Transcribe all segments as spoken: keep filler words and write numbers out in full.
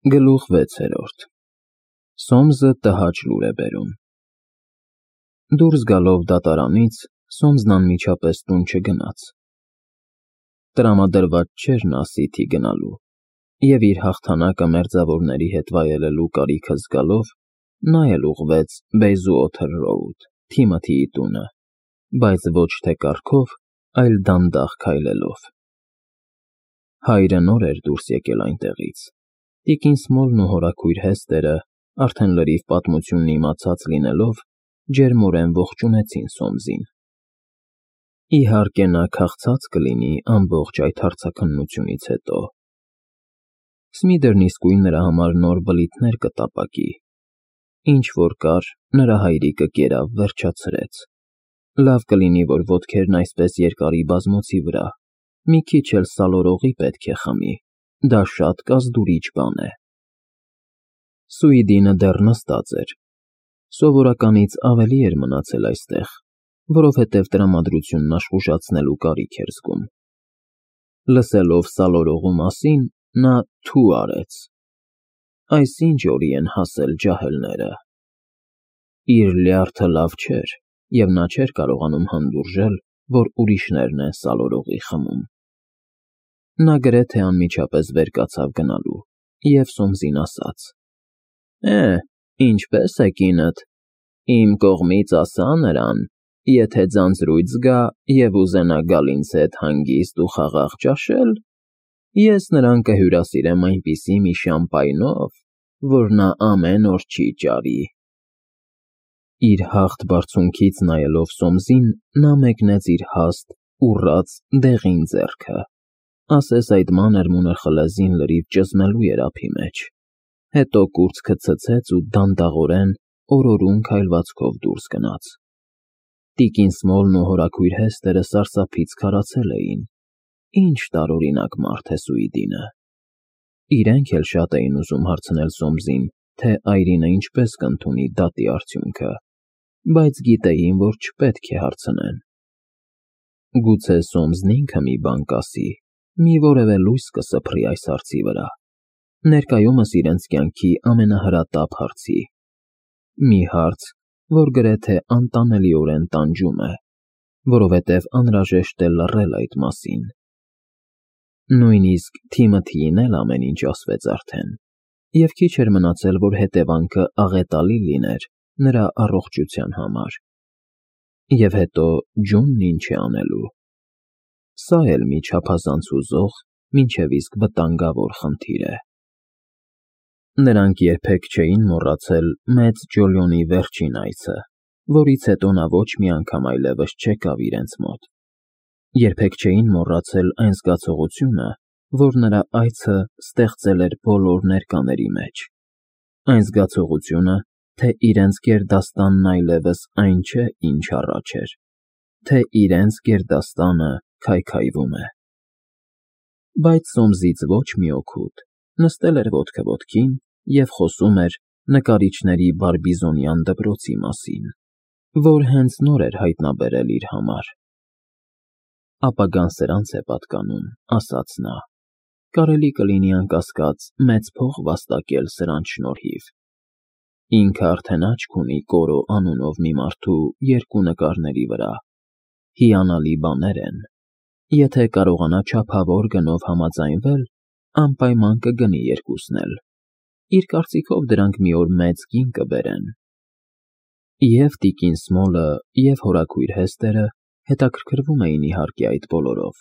Գլուխ վեցերորդ Սոմզը տհաճ լուր է բերում։ Դուրս գալով դատարանից, Սոմզն անմիջապես տուն չգնաց։ Տրամադրված չէր նա Սիթի գնալու, և իր հաղթանակը մերձավորների հետ վայելելու կարիքը զգալով, նա էլ ուղղվեց Բեյզուոթեր Ռոուդ, Թիմոթիի տունը, բայց ոչ թե կառքով, այլ դանդաղ քայլելով։ Հայրը նոր էր դուրս եկել այնտեղից։ Տիկին Սմոլն ու հորաքույր Հեստերը, արդեն լրիվ պատմությունն իմացած լինելով, ջերմորեն ողջունեցին Սոմզին։ Իհարկե նա քաղցած կլինի ամբողջ այդ հարցաքննությունից հետո։ Սմիդերն իսկույն նրա համար նոր բլիթներ կտապակի։ Ինչ որ կար, նրա հայրիկը կերավ վերջացրեց։ Լավ կլինի, որ ոտքերն այսպես երկարի բազմոցի վրա, մի քիչ էլ սալորողի պետք է խմի, դա շատ կազդուրիչ բան է։ Սուիդինը դեռ նստած էր։ Սովորականից ավելի էր մնացել այստեղ, որովհետև տրամադրությունն աշխուժացնելու կարիք էր զգում։ Լսելով սալորողու մասին, նա թու արեց։ Այս ինչ օրի են հասել ջահելները։ Իր լյարդը լավ չէր, և նա չէր կարողանում հանդուրժել, որ ուրիշներն են սալորողի խմում։ Նա գրեթե անմիջապես վեր կացավ գնալու և Սոմզին ասաց. Է, ինչպե՞ս է կինդ, իմ կողմից ասա նրան, եթե ձանձրույթ զգա և ուզենա գալ ինձ հետ հանգիստ ու խաղաղ ճաշել, ես նրան կհյուրասիրեմ այնպիսի մի շամպայնով, որ նա ամեն օր չի ճարի։ Իր հաղթ բարձունքից նայելով Սոմզին, նա մեկնեց իր հաստ, ուռած, դեղին ձեռքը, ասես այդ մանր-մունր խլեզին լրիվ ճզմելու էր ափի մեջ, հետո կուրծքը ցցեց ու դանդաղորեն, օրորուն քայլվածքով դուրս գնաց։ Տիկին Սմոլն ու հորաքույր Հեստերը սարսափից քարացել էին. ինչ տարօրինակ մարդ է Սուիդինը։ Իրենք էլ շատ էին ուզում հարցնել Սոմզին, թե այրինը ինչպես կընդունի դատի արդյունքը, բայց գիտեին, որ չպետք է հարցնեն։ Գուցե Սոմզն ինքը մի բան կասի, մի որևէ լույս կսփռի այս հարցի վրա, ներկայումս իրենց կյանքի ամենահրատապ հարցի։ Մի հարց, որ գրեթե անտանելիորեն տանջում է, որովհետև անհրաժեշտ է լռել այդ մասին։ Նույնիսկ Թիմոթիին էլ ամեն ինչ ասվեց արդեն, և քիչ էր մնացել, որ հետևանքը աղետալի լիներ նրա առողջության համար։ Եվ հետո Ջունն ինչ է անելու։ Սա էլ մի չափազանց հուզող, մինչև իսկ վտանգավոր խնդիր է։ Նրանք երբեք չէին մոռացել մեծ Ջոլիոնի վերջին այցը, որից հետո նա ոչ մի անգամ այլևս չեկավ իրենց մոտ։ Երբեք չէին մոռացել այն զգացողությունը, որ նրա այցը ստեղծել էր բոլոր ներկաների մեջ, այն զգացողությունը, թե իրենց գերդաստանն այլևս այն չէ, ինչ առաջ էր, թե իրենց գերդաստանը քայքայվում է։ Բայց Սոմզից ոչ մի օգուտ, նստել էր ոտքը ոտքին և խոսում էր նկարիչների բարբիզոնյան դպրոցի մասին, որ հենց նոր էր հայտնաբերել իր համար։ Ապագան սրանց է պատկանում, ասաց նա, կարելի կլինի անկասկած մեծ փող վաստակել սրանց շնորհիվ։ Ինքը արդեն աչք ունի Կորո անունով մի մարդու երկու նկարների վրա, հիանալի բաներ են, եթե կարողանա չափավոր գնով համաձայնվել, անպայման կգնի երկուսն էլ, իր կարծիքով դրանք մի օր մեծ գին կբերեն։ Եվ տիկին Սմոլը, և հորաքույր Հեստերը հետաքրքրվում էին իհարկե այդ բոլորով,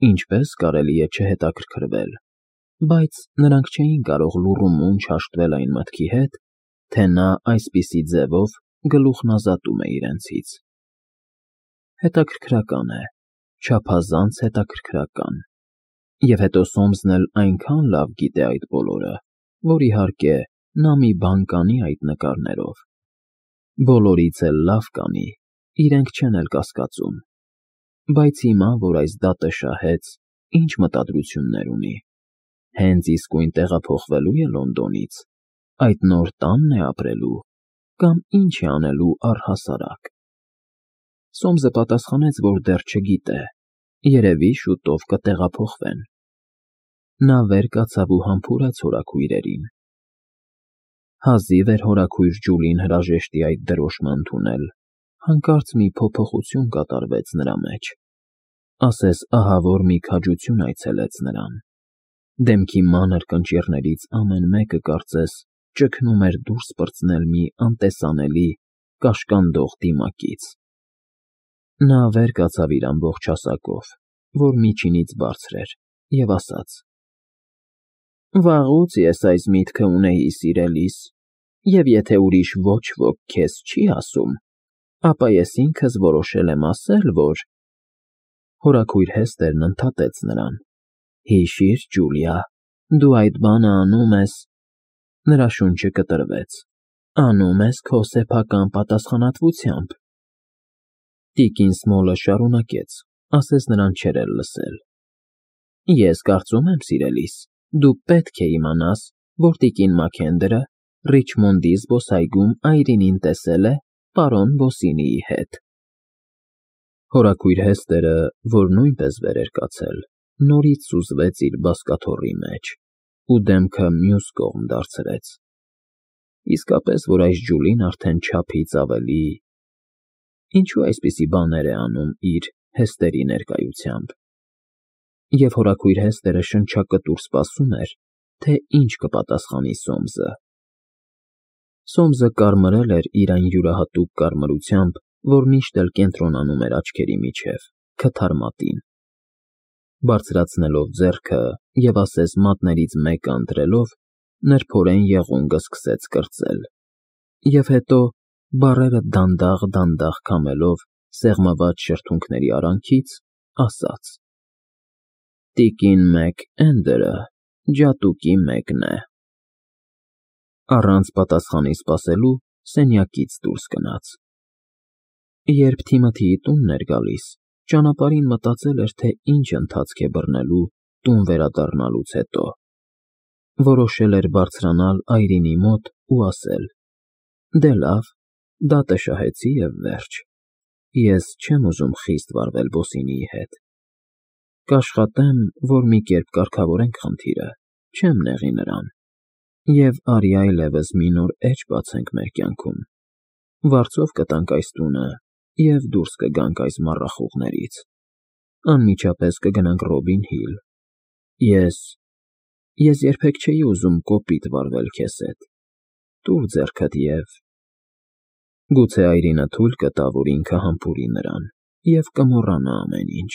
ինչպես կարելի է չհետաքրքրվել, բայց նրանք չէին կարող լուռումունջ հաշտվել այն մտքի հետ, թե նա այսպիսի ձևով գլուխն ազատում է իրենցից։ Հետաքրքրական է, չափազանց հետաքրքրական։ Եվ հետո Սոմզն էլ այնքան լավ գիտե այդ բոլորը, որ իհարկե նա մի բան կանի այդ նկարներով։ Բոլորից էլ լավ կանի, իրենք չեն էլ կասկածում։ Բայց հիմա, որ այս դատը շահեց, ինչ մտադրություններ ունի։ Հենց իսկույն տեղափոխվելո՞ւ է Լոնդոնից, այդ նոր տա՞նն է ապրելու, կամ ինչ է անելու առհասարակ։ Սոմզը պատասխանեց, որ դեռ չգիտե, երևի շուտով կտեղափոխվեն։ նա վեր կացավ ու համբուրեց հորաքույրերին։ Հազիվ էր հորաքույր Ջուլին հրաժեշտի այդ դրոշը ընդունել, հանկարծ մի փոփոխություն կատարվեց նրա մեջ, ասես ահավոր մի քաջություն այցելեց նրան։ Դեմքի մանր կնճիռներից ամեն մեկը կարծես ճգնում էր դուրս պրծնել մի անտեսանելի, կաշկանդող դիմակից։ Նա վեր կացավ իր ամբողջ հասակով, որ միջինից բարձր էր, և ասաց. «Վաղուց ես այս միտքը ունեի սիրելիս, և եթե ուրիշ ոչ ոք քեզ չի ասում, ապա ես ինքս որոշել եմ ասել, որ…» Հորաքույր Հեստերն ընդհատեց նրան. «Հիշի՛ր, Ջուլիա, դու այդ բանը անում ես…» Նրա շունչը կտրվեց։ «Անում ես քո սեփական պատասխանատվությամբ»։ Տիկին Սմոլը շարունակեց, ասես նրան չէր էլ լսել. «Ես կարծում եմ, սիրելիս, դու պետք է իմանաս, որ տիկին Մաքենդրը Ռիչմոնդի զբոսայգում Այրինին տեսել է պարոն Բոսինիի հետ»։ Հորաքույր Հեստերը, որ նույնպես վեր էր կացել, նորից սուզվեց իր բազկաթոռի մեջ ու դեմքը մյուս կողմ դարձրեց։ Իսկապես, որ այս Ջուլին արդեն չափից ավելի… Ինչո՞ւ այսպիսի բաներ է անում իր՝ Հեստերի ներկայությամբ։ Եվ հորաքույր Հեստերը շնչակտուր սպասում էր, թե ինչ կպատասխանի Սոմսը։ Սոմսը կարմրել էր իր այն յուրահատուկ կարմրությամբ, որ միշտ էլ կենտրոնանում էր աչքերի միջև, քթար մատին։ Բարձրացնելով ձեռքը և ասես մատներից մեկը ընտրելով, նրբորեն եղունգը սկսեց կրծել, և հետո, բառերը դանդաղ֊դանդաղ քամելով սեղմված շրթունքների արանքից, ասաց. «Տիկին Մեք֊Էնդերը ջատուկի մեկն է»։ Առանց պատասխանի սպասելու սենյակից դուրս գնաց։ Երբ Թիմոթիի տունն էր գալիս, ճանապարհին մտածել էր, թե ինչ ընթացք է բռնելու տուն վերադառնալուց հետո։ Որոշել էր բարձրանալ Այրինի մոտ ու ասել. «Դե լավ, դատը շահեցի և վերջ։ Ես չեմ ուզում խիստ վարվել Բոսինիի հետ։ Կաշխատեմ, որ մի կերպ կարգավորենք խնդիրը, չեմ նեղի նրան, և արի այլևս մի նոր էջ բացենք մեր կյանքում։ Վարձով կտանք այս տունը և դուրս կգանք այս մառախուղներից։ Անմիջապես կգնանք Ռոբին Հիլ։ Ես… ես երբեք չէի ուզում կոպիտ վարվել քեզ հետ։ Տուր ձեռքդ և…» Գուցե Այրինը թույլ կտա, որ ինքը համբուրի նրան և կմոռանա ամեն ինչ։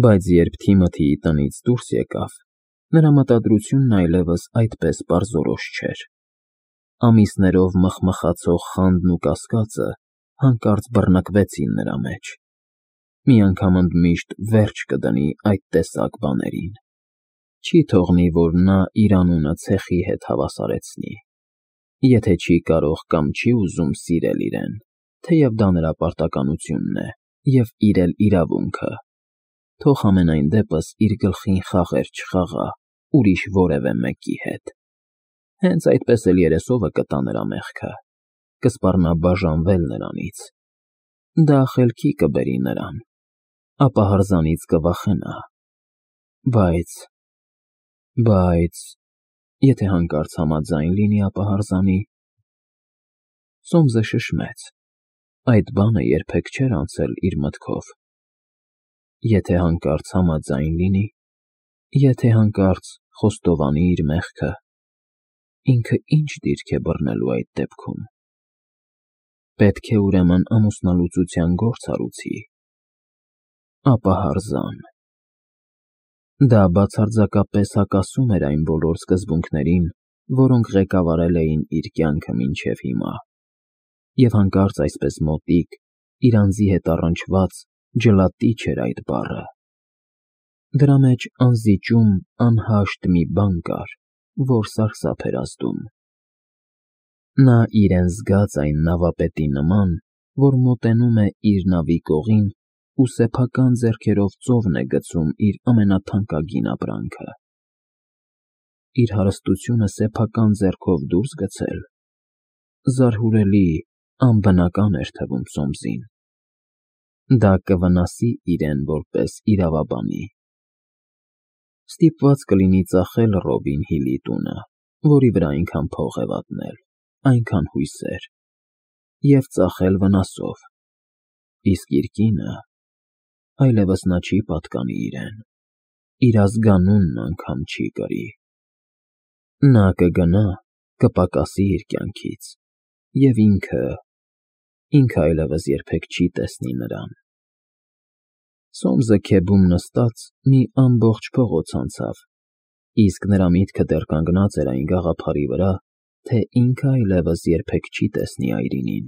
Բայց երբ Թիմոթիի տնից դուրս եկավ, նրա մտադրությունն այլևս այդպես պարզորոշ չէր։ Ամիսներով մխմխացող խանդն ու կասկածը հանկարծ բռնկվեցին նրա մեջ։ Մի անգամ ընդմիշտ վերջ կդնի այդ տեսակ բաներին։ Չի թողնի, որ նա իր անունը ցեխի հետ հավասարեցնի։ Եթե չի կարող կամ չի ուզում սիրել իրեն, թեև դա նրա պարտականությունն է և իր էլ իրավունքը, թող համենայն դեպս իր գլխին խաղեր չխաղա ուրիշ որևէ մեկի հետ։ Հենց այդպես էլ երեսովը կտա նրա մեղքը, կսպառնա բաժանվել նրանից։ Դա խելքի կբերի նրան, ապա հրզանից կվախենա։ Բայց… բայց… եթե հանկարծ համաձայն լինի, ապա հրզանի… Սոմսը շշմեց։ Այդ բանը երբեք չէր անցել իր մտքով։ Եթե հանկարծ համաձայն լինի… եթե հանկարծ խոստովանի իր մեղքը… ինքը ի՞նչ դիրք է բռնելու այդ դեպքում։ Պետք է, ուրեմն, ամուսնալուծության գործ հարուցի… ապա հրզան… Դա բացարձակապես հակասում էր այն բոլոր սկզբունքներին, որոնք ղեկավարել էին իր կյանքը մինչև հիմա, և հանկարծ այսպես մոտիկ, իր անձի հետ առնչված ջլատիչ էր այդ բառը։ Դրա մեջ անզիջում, անհաշտ մի բան կար, որ սարսափ էր ազդում։ Նա իրեն զգաց այն նավապետի նման, որ մոտենում է իր նավի կողին ու սեփական ձեռքերով ծովն է գցում իր ամենաթանկագին ապրանքը։ Իր հարստությունը սեփական ձեռքով դուրս գցել… զարհուրելի, անբնական էր թվում Սոմսին։ Դա կվնասի իրեն որպես իրավաբանի։ Ստիպված կլինի ծախել Ռոբին Հիլի տունը, որի վրա այնքան փող է վատնել, այնքան հույսեր, և ծախել վնասով, իսկ իր կինը… այլևս նա չի պատկանի իրեն, իր ազգանունն անգամ չի կրի։ Նա կգնա, կպակասի իր կյանքից, և ինքը… ինքը այլևս երբեք չի տեսնի նրան։ Սոմսը քեբում նստած մի ամբողջ փողոց անցավ, իսկ նրա միտքը դեռ կանգնած էր այն գաղափարի վրա, թե ինքը այլևս երբեք չի տեսնի Այրինին։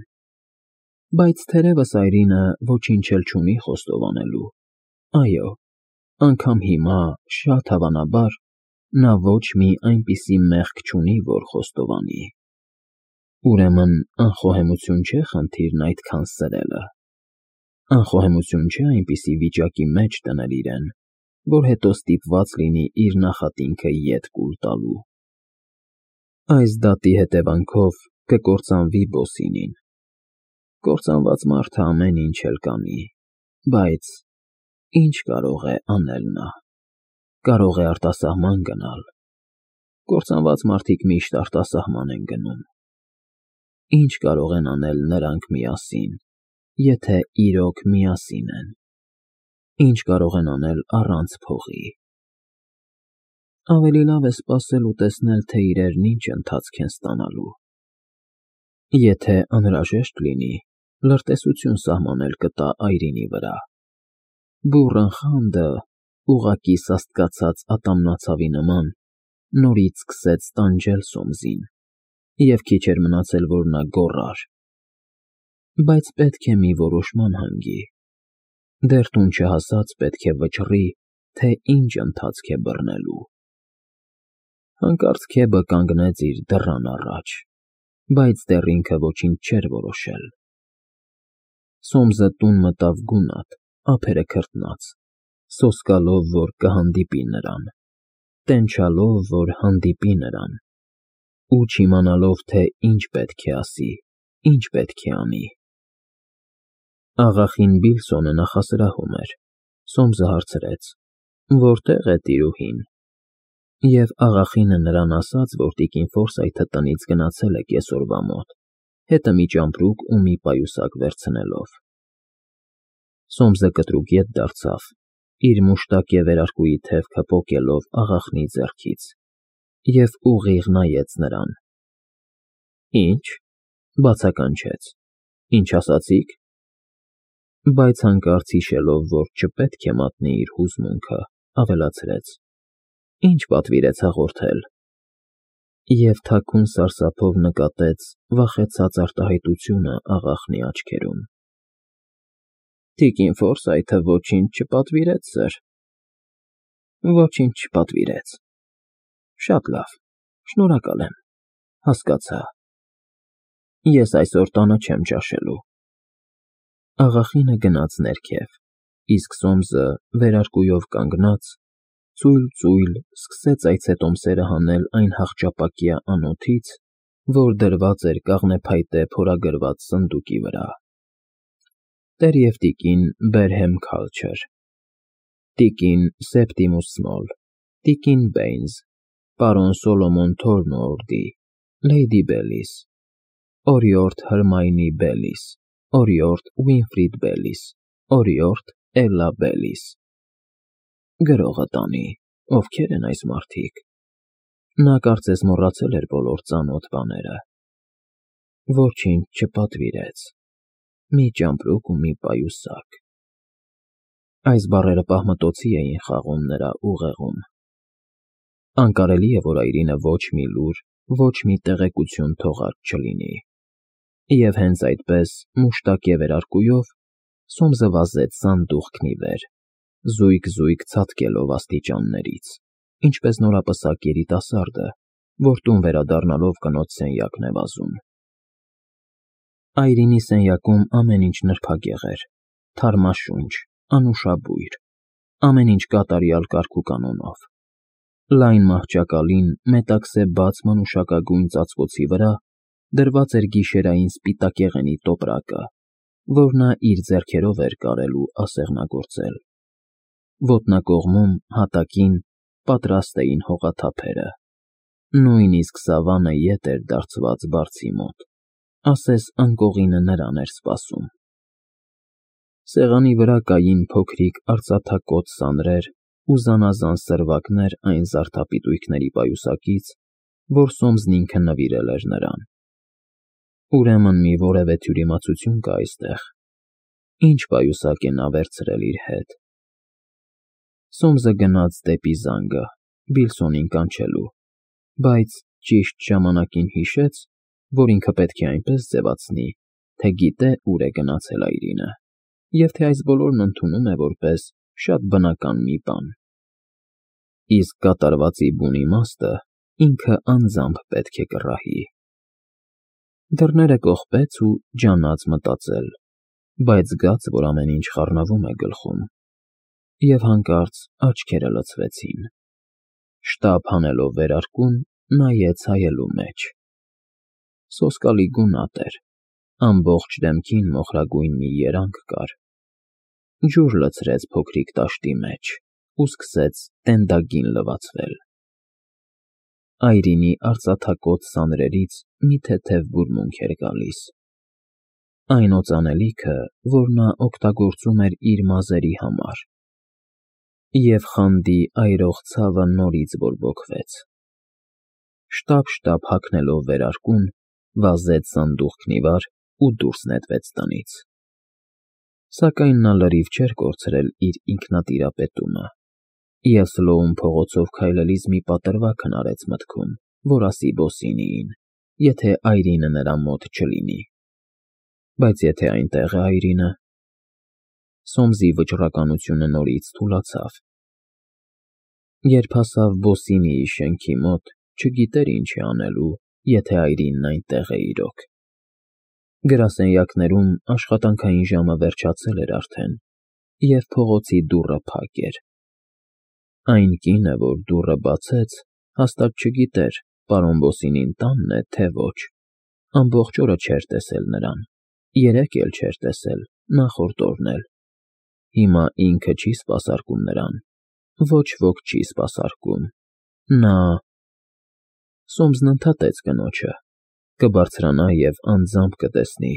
Բայց թերևս Այրինը ոչինչ էլ չունի խոստովանելու, այո, անգամ հիմա, շատ հավանաբար, նա ոչ մի այնպիսի մեղք չունի, որ խոստովանի։ Ուրեմն անխոհեմություն չէ խնդիրն այդքան սրելը, անխոհեմություն չէ այնպիսի վիճակի մեջ դնել իրեն, որ հետո ստիպված լինի իր նախատինքը ետ կուլ տալու։ Այս դատի հետևանքով կկործանվի Բոսինին։ Կործանված մարդը ամեն ինչ էլ կանի, բայց ի՞նչ կարող է անել նա։ Կարող է արտասահման գնալ։ Կործանված մարդիկ միշտ արտասահման են գնում։ Ի՞նչ կարող են անել նրանք միասին, եթե իրոք միասին են։ Ի՞նչ կարող են անել առանց փողի։ Ավելի լավ է սպասել ու տեսնել, թե իրերն ինչ ընթացք են ստանալու։ Եթե անհրաժեշտ լինի, լրտեսություն սահմանել կտա Այրինի վրա։ Բուռն խանդը, ուղղակի սաստկացած ատամնացավի նման, նորից սկսեց տանջել Սոմսին, և քիչ էր մնացել, որ նա գոռար։ Բայց պետք է մի որոշման հանգի։ Դեռ տուն չհասած պետք է վճռի, թե ինչ ընթացք է բռնելու։ Հանկարծ քեբը կանգնեց իր դռան առաջ, բայց դեռ ինքը ոչինչ չէր որոշել։ Սոմսը տուն մտավ գունատ, ափերը քրտնած, սոսկալով, որ կհանդիպի նրան, տենչալով, որ հանդիպի նրան, ու չիմանալով, թե ինչ պետք է ասի, ինչ պետք է անի։ Աղախին Բիլսոնը նախասրահում էր։ Սոմսը հարցրեց. «Որտե՞ղ է տիրուհին»։ Եվ աղախինը նրան ասաց, որ տիկին Ֆորսայթը տնից գնացել է կեսօրվա մոտ, հետը մի ճամպրուկ ու մի պայուսակ վերցնելով։ Սոմսը կտրուկ ետ դարձավ, իր մուշտակ և վերարկուի թևքը պոկելով աղախնի ձեռքից, և ուղիղ նայեց նրան։ Ի՞նչ, բացականչեց, ինչ ասացիք։ Բայց հանկարծ հիշելով, որ չպետք է մատնի իր հուզմունքը, ավելացրեց. Ինչ պատվիրեց հաղորդել։ Եվ թաքուն սարսափով նկատեց վախեցած արտահայտությունը աղախնի աչքերում։ Տիկին Ֆորսայթը ոչինչ չպատվիրեց, սըր։ Ոչինչ չպատվիրեց։ Շատ լավ, շնորհակալ եմ, հասկացա։ Ես այսօր տանը չեմ ճաշելու։ Աղախինը գնաց ներքև, իսկ Սոմսը, վերարկուով կանգնած, ծույլ֊ծույլ սկսեց այցետոմսերը հանել այն հախճապակյա անոթից, որ դրված էր կաղնեփայտե փորագրված սնդուկի վրա. Տեր և տիկին Բերհեմ Քալչր, տիկին Սեպտիմուս Սմոլ, տիկին Բեյնս, պարոն Սոլոմոն Թորնուորդի, Լեյդի Բելիս, օրիորդ Հրմայնի Բելիս, օրիորդ Ուինֆրիդ Բելիս, օրիորդ Էլլա Բելիս։ Գրողը տանի, ովքեր են այս մարդիկ։ Նա կարծես մոռացել էր բոլոր ծանոթ բաները։ Ոչինչ չպատվիրեց։ Մի ճամպրուկ ու մի պայուսակ։ Այս բառերը պահմտոցի էին խաղում նրա ուղեղում։ Անկարելի է, որ Այրինը ոչ մի լուր, ոչ մի տեղեկություն թողած չլինի։ Եվ հենց այդպես, մուշտակ և վերարկուով, Սոմսը վազեց սանդուղքն ի վեր, զույգ֊զույգ ցատկելով աստիճաններից, ինչպես նորապսակ երիտասարդը, որ տուն վերադառնալով կնոջ սենյակն է վազում։ Այրինի սենյակում ամեն ինչ նրբագեղ էր, թարմաշունչ, անուշաբույր, ամեն ինչ կատարյալ կարգուկանոնով։ Լայն մահճակալին, մետաքսե բաց մանուշակագույն ծածկոցի վրա դրված էր գիշերային սպիտակեղենի տոպրակը, որ նա իր ձեռքերով էր կարել ու ասեղնագործել։ Ոտնակողմում, հատակին, պատրաստ էին հողաթափերը։ Նույնիսկ Սավանը ետ էր դարձված բարձի մոտ, ասես անկողինը նրան էր սպասում։ Սեղանի վրա կային փոքրիկ արծաթակոծ սանրեր ու զանազան սրվակներ այն զարդապիտույքների պայուսակից, որ Սոմսն ինքը նվիրել էր նրան։ Ուրեմն մի որևէ թյուրիմացություն կա այստեղ։ Ինչ պայուսակ է նա վերցրել իր հետ։ Սոմսը գնաց դեպի զանգը, Վիլսոնին կանչելու, բայց ճիշտ ժամանակին հիշեց, որ ինքը պետք է այնպես ձևացնի, թե գիտե ուր է գնացել Այրինը, և թե այս բոլորն ընդունում է որպես շատ բնական մի բան։ Իսկ կատարվածի բուն իմաստը ինքը անձամբ պետք է կռահի։ Դռները կողպեց ու ջանաց մտածել, բայց զգաց, որ ամեն ինչ խառնվում է գլխում, և հանկարծ աչքերը լցվեցին։ Շտապ հանելով վերարկուն, նայեց հայելու մեջ։ Սոսկալի գունատ էր, ամբողջ դեմքին մոխրագույն մի երանգ կար։ Ջուր լցրեց փոքրիկ տաշտի մեջ ու սկսեց տենդագին լվացվել։ Այրինի արծաթակոծ սանրերից մի թեթև բուրմունք էր գալիս։ Այն օծանելիքը, որ նա օգտագործում էր իր մազերի համար։ Եվ խանդի այրող ցավը նորից բորբոքվեց։ Շտապ֊շտապ հագնելով վերարկուն, վազեց սանդուղքն ի վար ու դուրս նետվեց տնից։ Սակայն նա լրիվ չէր կորցրել իր ինքնատիրապետումը, և Սլոուն փողոցով քայլելիս մի պատրվակ հնարեց մտքում, որ ասի Բոսինիին, եթե Այրինը նրա մոտ չլինի։ Բայց եթե այնտեղ է Այրինը… Սոմսի վճռականությունը նորից թուլացավ։ Երբ հասավ Բոսինիի շենքի մոտ, չգիտեր ինչ է անելու, եթե Այրինն այնտեղ է իրոք։ Գրասենյակներում աշխատանքային ժամը վերջացել էր արդեն, և փողոցի դուռը փակ էր։ Այն կինը, որ դուռը բացեց, հաստատ չգիտեր, պարոն Բոսինին տանն է, թե ոչ։ Ամբողջ օրը չէր տեսել նրան, երեկ էլ չէր տեսել, նախորդ օրն էլ։ Հիմա ինքը չի սպասարկում նրան, ոչ ոք չի սպասարկում։ Նա… Սոմսն ընդհատեց կնոջը, կբարձրանա և անձամբ կտեսնի,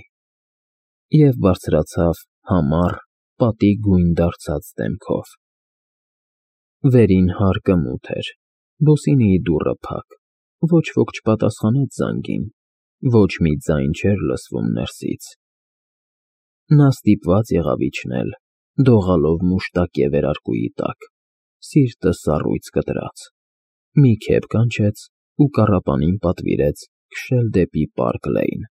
և բարձրացավ համառ, պատի գույն դարձած դեմքով։ Վերին հարկը մութ էր, Բոսինիի դուռը փակ, ոչ ոք չպատասխանեց զանգին, ոչ մի ձայն չէր լսվում ներսից։ Նա ստիպված եղավ իջնել, դողալով մուշտակե վերարկուի տակ, սիրտը սառույց կտրած, մի քեֆ կանչեց ու կառապանին պատվիրեց քշել դեպի Պարկ Լեյն։